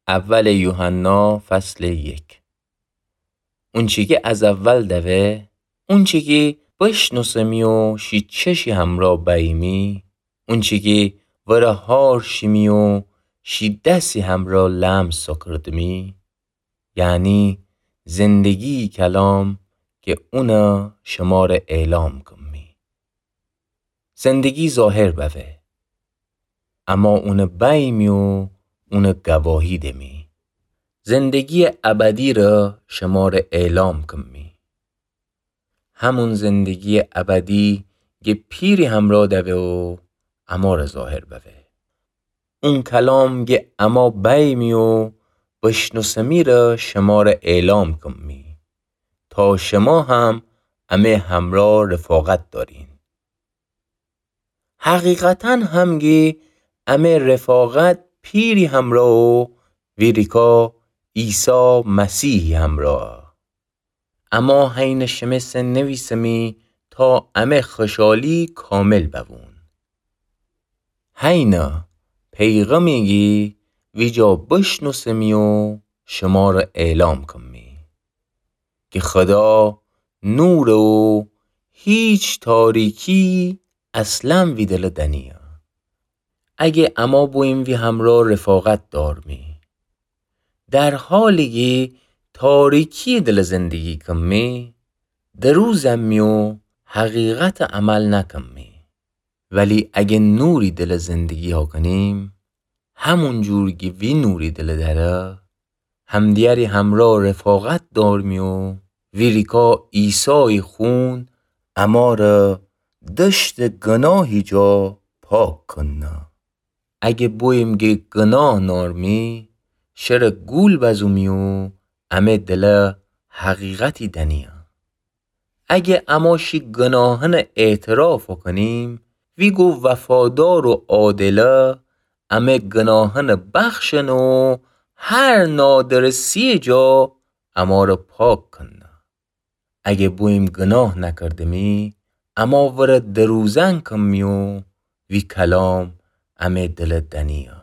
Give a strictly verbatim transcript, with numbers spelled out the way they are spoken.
اول یوحنا فصل یک. اونچی کی از اول دوه، اونچی کی بشنوسمی و شی چشی همرا بیمی، اونچی کی وره هار شیمی و شی دسی همرا لمس سوکردمی، یعنی زندگی کلام کی اونه شمره اعلام کمی. زندگی ظاهر بوه. اما اونه بیمی و اونه گواهی دمی. زندگی ابدی ره شمره اعلام کمی. همون زندگی ابدی گه پیری همرا دوه و امره ظاهر بوه. اون کلام گه اما بیمی و بشنوسمی ره شمره اعلام کمی، تا شما هم امه همرا رفاقت دارین. حقیقتاً هم گه امه رفاقت پیری همرا و ویریکا عیسی مسیحی همرا. اما هینه شمه سه نویسمی تا امه خوشحالی کامل ببون. هینه پیغامی گه ویجا بشنوسمی و شمره اعلام کمی. کی خدا نوره و هیچ تاریکی اصلاً وی دله دنیه. اگه اما بویم وی همرا رفاقت دارمی، در حالی کی تاریکی دله زندگی کمی، دروزمی و حقیقت عمل نکمی. ولی اگه نوری دله زندگی هاکنیم، همون جور کی وی نوری دله داره، همدیگری همرا رفاقت دارمی و ویریکا عیسای خون امره دشت گناهی جا پاک کنه. اگه بویم گه گناه نارمی، شره گول بزومی و امه دله حقیقتی دنیه. اگه اما شی گناهنه اعتراف کنیم، وی گو وفادار و عادله، امه گناهنه بخشنه و هر نادرستی جا امره پاک کنه. اگه بویم گناه نکردمی، اما وره دروزن کمی و وی کلام امه دله دنیه.